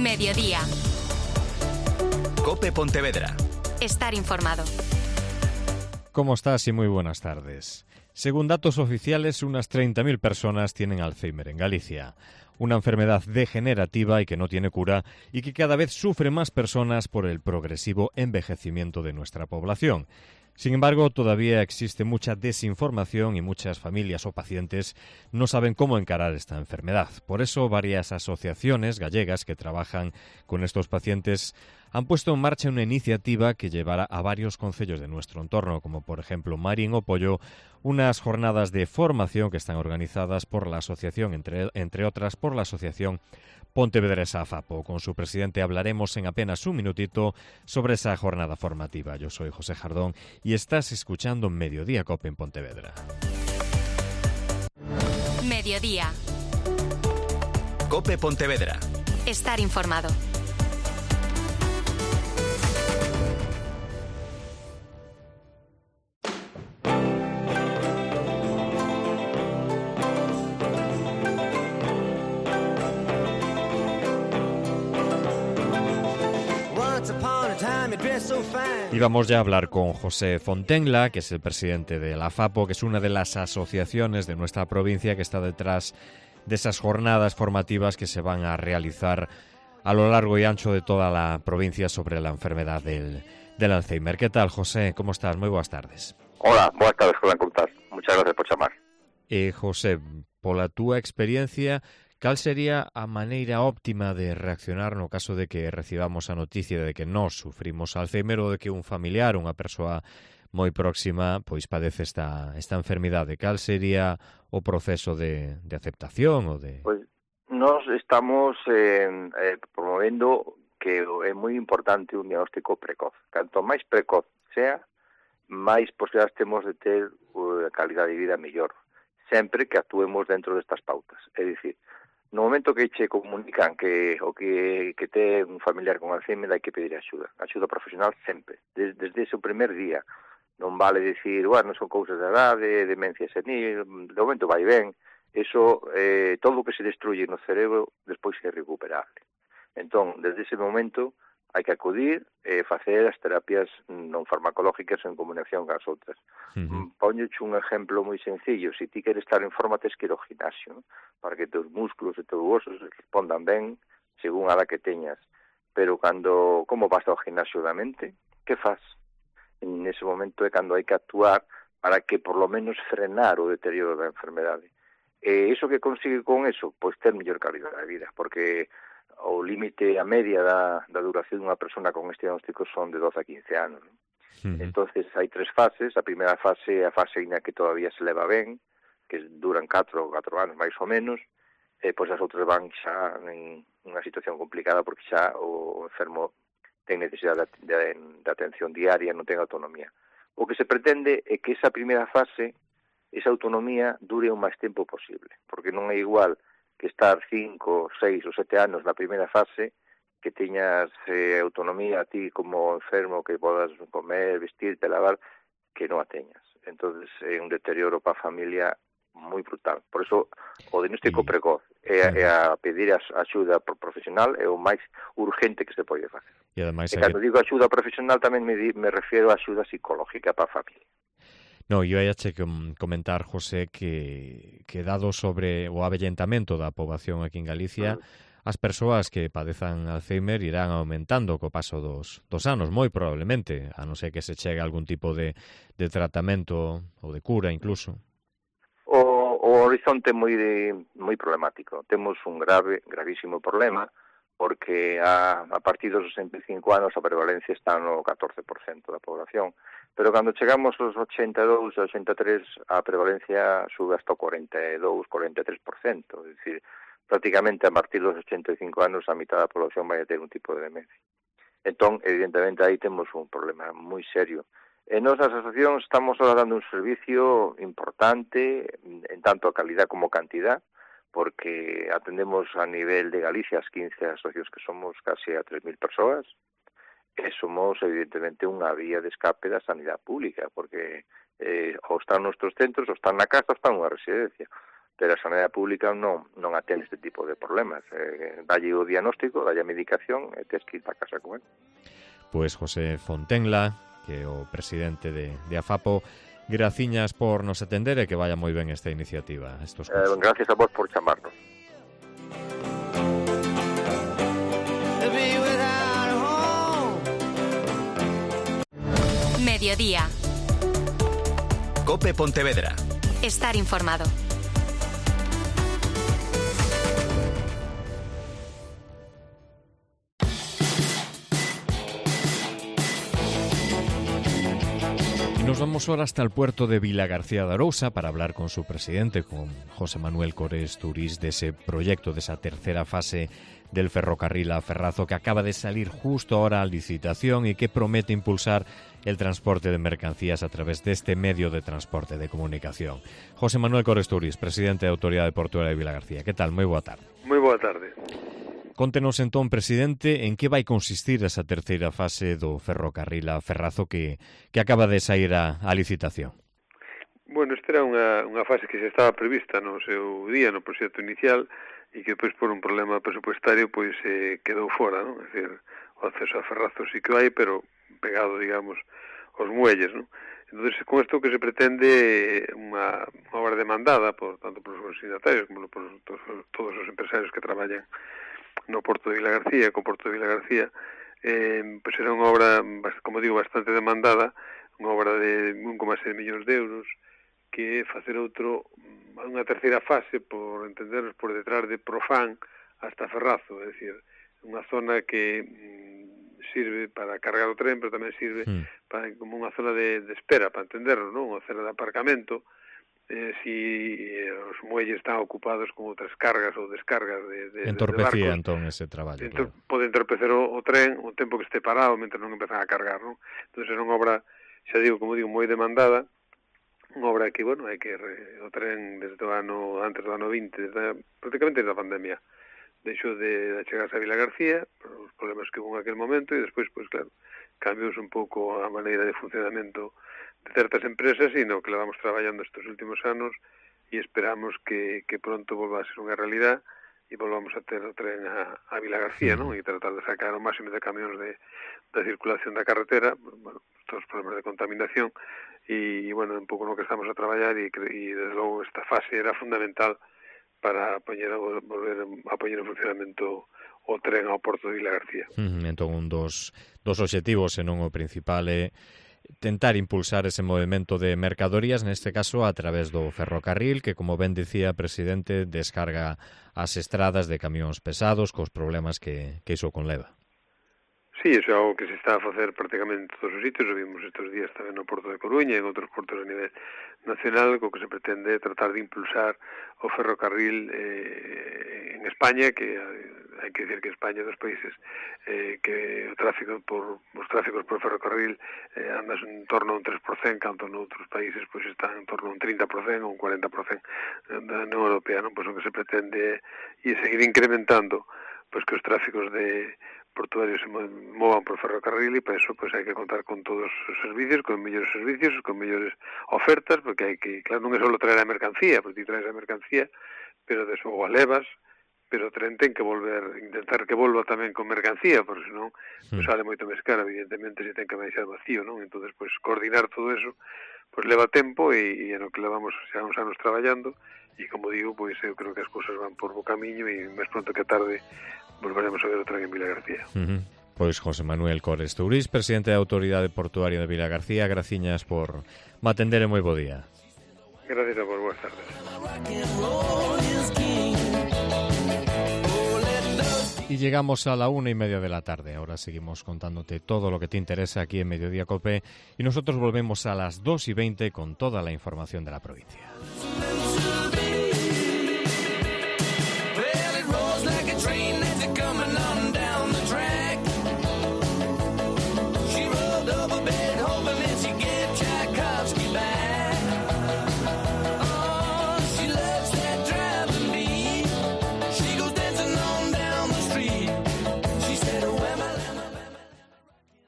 Mediodía. COPE Pontevedra. Estar informado. ¿Cómo estás? Y muy buenas tardes. Según datos oficiales, unas 30.000 personas tienen Alzheimer en Galicia. Una enfermedad degenerativa y que no tiene cura y que cada vez sufre más personas por el progresivo envejecimiento de nuestra población. Sin embargo, todavía existe mucha desinformación y muchas familias o pacientes no saben cómo encarar esta enfermedad. Por eso, varias asociaciones gallegas que trabajan con estos pacientes han puesto en marcha una iniciativa que llevará a varios concellos de nuestro entorno, como por ejemplo Marín o Pollo, unas jornadas de formación que están organizadas por la asociación, entre otras por la asociación Pontevedresa AFAPO. Con su presidente hablaremos en apenas un minutito sobre esa jornada formativa. Yo soy José Jardón y estás escuchando Mediodía COPE en Pontevedra. Mediodía. COPE Pontevedra. Estar informado. Y vamos ya a hablar con José Fontenla, que es el presidente de la AFAPO, que es una de las asociaciones de nuestra provincia que está detrás de esas jornadas formativas que se van a realizar a lo largo y ancho de toda la provincia sobre la enfermedad del Alzheimer. ¿Qué tal, José? ¿Cómo estás? Muy buenas tardes. Hola, buenas tardes, Juan, ¿cómo estás? Muchas gracias por chamar. José, pola túa experiencia, cal sería a maneira óptima de reaccionar no caso de que recibamos a noticia de que nós sufrimos Alzheimer ou de que un familiar, unha persoa moi próxima, pois padece esta enfermidade? Cal sería o proceso de aceptación ou de... Pois nós estamos promovendo que é moi importante un diagnóstico precoz. Canto máis precoz sea, máis posibilidades temos de ter calidad de vida mellor, sempre que actuemos dentro destas pautas. É dicir, no momento que che comunican que ten un familiar con Alzheimer, hai que pedir axuda profesional sempre, desde ese primer día. Non vale dicir, bueno, son cousas de edade, demencia senil, de momento vai ben, eso, todo o que se destruye no cerebro despois é recuperable. Entón, desde ese momento, hai que acudir e facer as terapias non farmacológicas en combinación con as outras. Póñoche un exemplo moi sencillo. Se ti queres estar en forma, tes que ir ao gimnasio, para que teus músculos e teus osos respondan ben según a edad que teñas. Pero como vas ao gimnasio da mente, que faz? En ese momento é cando hai que actuar para que por lo menos frenar o deterioro da enfermedade. E iso que consigue con eso? Pois ter mellor calidad de vida, porque o límite a media da duración dunha persona con este diagnóstico son de 12 a 15 anos. Entonces hai tres fases. A primeira fase é a fase na que todavía se leva ben, que duran 4 anos máis ou menos, e pois as outras van xa en unha situación complicada porque xa o enfermo ten necesidade de atención diaria, non ten autonomía. O que se pretende é que esa primeira fase, esa autonomía, dure o máis tempo posible, porque non é igual que estar 5, 6 ou 7 anos na primeira fase, que teñas autonomía a ti como enfermo, que podas comer, vestirte, lavar, que non a teñas. Entonces é un deterioro para a familia moi brutal. Por eso o diagnóstico precoz é a pedir axuda profesional é o máis urgente que se pode facer. E cando digo axuda profesional tamén me refiero a axuda psicológica para a familia. No, eu ia che comentar, José, que dado sobre o avellentamento da poboación aquí en Galicia, as persoas que padezan Alzheimer irán aumentando co paso dos anos, moi probablemente, a non ser que se chegue a algún tipo de tratamento ou de cura incluso. O horizonte é moi problemático. Temos un gravísimo problema, porque a partir dos 65 anos a prevalencia está no 14% da población, pero cando chegamos aos 82, 83, a prevalencia sube hasta o 42, 43%, é dicir, prácticamente a partir dos 85 anos a mitad da población vai a ter un tipo de demencia. Entón, evidentemente, aí temos un problema moi serio. En nosas asociacións estamos ahora dando un servicio importante, en tanto a calidad como cantidad, porque atendemos a nivel de Galicia as 15 asociacións que somos casi a 3.000 persoas, e somos evidentemente unha vía de escape da sanidade pública, porque ou están nos centros, ou están na casa, ou están nunha residencia. pero a sanidade pública non atende este tipo de problemas. Dalle o diagnóstico, dalle a medicación e tes que ir para casa con él. Pois José Fontenla, que é o presidente de AFAPO, graciñas por nos atender e que vaya moi ben esta iniciativa. Gracias a vos por chamarnos. Mediodía. COPE Pontevedra. Estar informado. Nos vamos ahora hasta el puerto de Vilagarcía de Arousa para hablar con su presidente, con José Manuel Cores Turís, de ese proyecto, de esa tercera fase del ferrocarril a Ferrazo, que acaba de salir justo ahora a licitación y que promete impulsar el transporte de mercancías a través de este medio de transporte de comunicación. José Manuel Cores Turís, presidente da Autoridade Portuaria de Vilagarcía. Que tal? Moi boa tarde. Moi boa tarde. Contenos entón, presidente, en que vai consistir esa terceira fase do ferrocarril a Ferrazo que acaba de sair a licitación. Bueno, esta era unha fase que xa estaba prevista no seu día, no proxecto inicial, e que depois por un problema presupuestario pois quedou fora, non? É dicir, o acceso a Ferrazo sí que hai, pero pegado, digamos, aos muelles, non? Entón, con isto que se pretende unha obra demandada tanto por os signatarios como por todos os empresarios que traballan no Porto de Vilagarcía, co Porto de Vilagarcía, pois era unha obra, como digo, bastante demandada, unha obra de 1,6 millóns de euros, que facer unha terceira fase, por entendernos, por detrás de Profán hasta Ferrazo, é dicir, unha zona que sirve para cargar o tren, pero tamén sirve como unha zona de espera, para entendernos, non? Unha zona de aparcamento, si os muelles están ocupados con outras cargas ou descargas de entorpecía barcos, entón ese traballo. Claro. Pode entorpecer o tren o tempo que este parado mentre non empezan a cargar, non? Entón era unha obra, xa digo, como digo, moi demandada, unha obra que, bueno, hai que o tren desde o ano, antes do ano 20, prácticamente desde a pandemia, deixou de chegarse a Vilagarcía, por os problemas que hubo en aquel momento, e despois, pois claro, cambiou un pouco a maneira de funcionamento de certas empresas, e no que levamos traballando estes últimos anos, e esperamos que pronto volva a ser unha realidad e volvamos a ter o tren a Vilagarcía, non? E tratar de sacar o máximo de camións da circulación da carretera, bueno, todos os problemas de contaminación, e bueno, un pouco no que estamos a traballar, e desde logo esta fase era fundamental para volver a poñer en funcionamento o tren ao Porto de Vilagarcía. Entón, un dos obxectivos, e non o principal, é tentar impulsar ese movimento de mercadorías, neste caso a través do ferrocarril, que, como ben dicía, presidente, descarga as estradas de camións pesados cos problemas que iso conleva. Sí, iso é algo que se está a facer prácticamente en todos os sitios, o vimos estes días tamén no Porto de Coruña e en outros portos a nivel nacional, co que se pretende tratar de impulsar o ferrocarril en España, que hai que dicir que España é dos países que os tráficos por ferrocarril andan en torno a un 3%, canto noutros países pois están en torno a un 30% ou un 40% da Unión Europea, non? Pois o que se pretende é seguir incrementando pois que os tráficos de portuarios se movan por ferrocarril, e para eso pois hai que contar con todos os servicios, con mellores servicios, con mellores ofertas, porque hai que, claro, non é só traer a mercancía, porque ti traes a mercancía, pero despois a levas, pero o tren ten que intentar que volva tamén con mercancía, porque senón pois sale moito máis caro, evidentemente, se ten que baixar vacío, non? Entonces, pois coordinar todo eso, pois leva tempo, e no que levamos xa uns anos traballando, e como digo, pois eu creo que as cousas van por bo camiño, e máis pronto que tarde volveremos a ver o tren en Vilagarcía. Pois José Manuel Cores Turís, presidente da Autoridade Portuaria de Vilagarcía, graciñas por me atender e moi bo día. Gracias a vos, boas tardes. Y llegamos a la 1:30 de la tarde. Ahora seguimos contándote todo lo que te interesa aquí en Mediodía Cope, y nosotros volvemos a las 2:20 con toda la información de la provincia.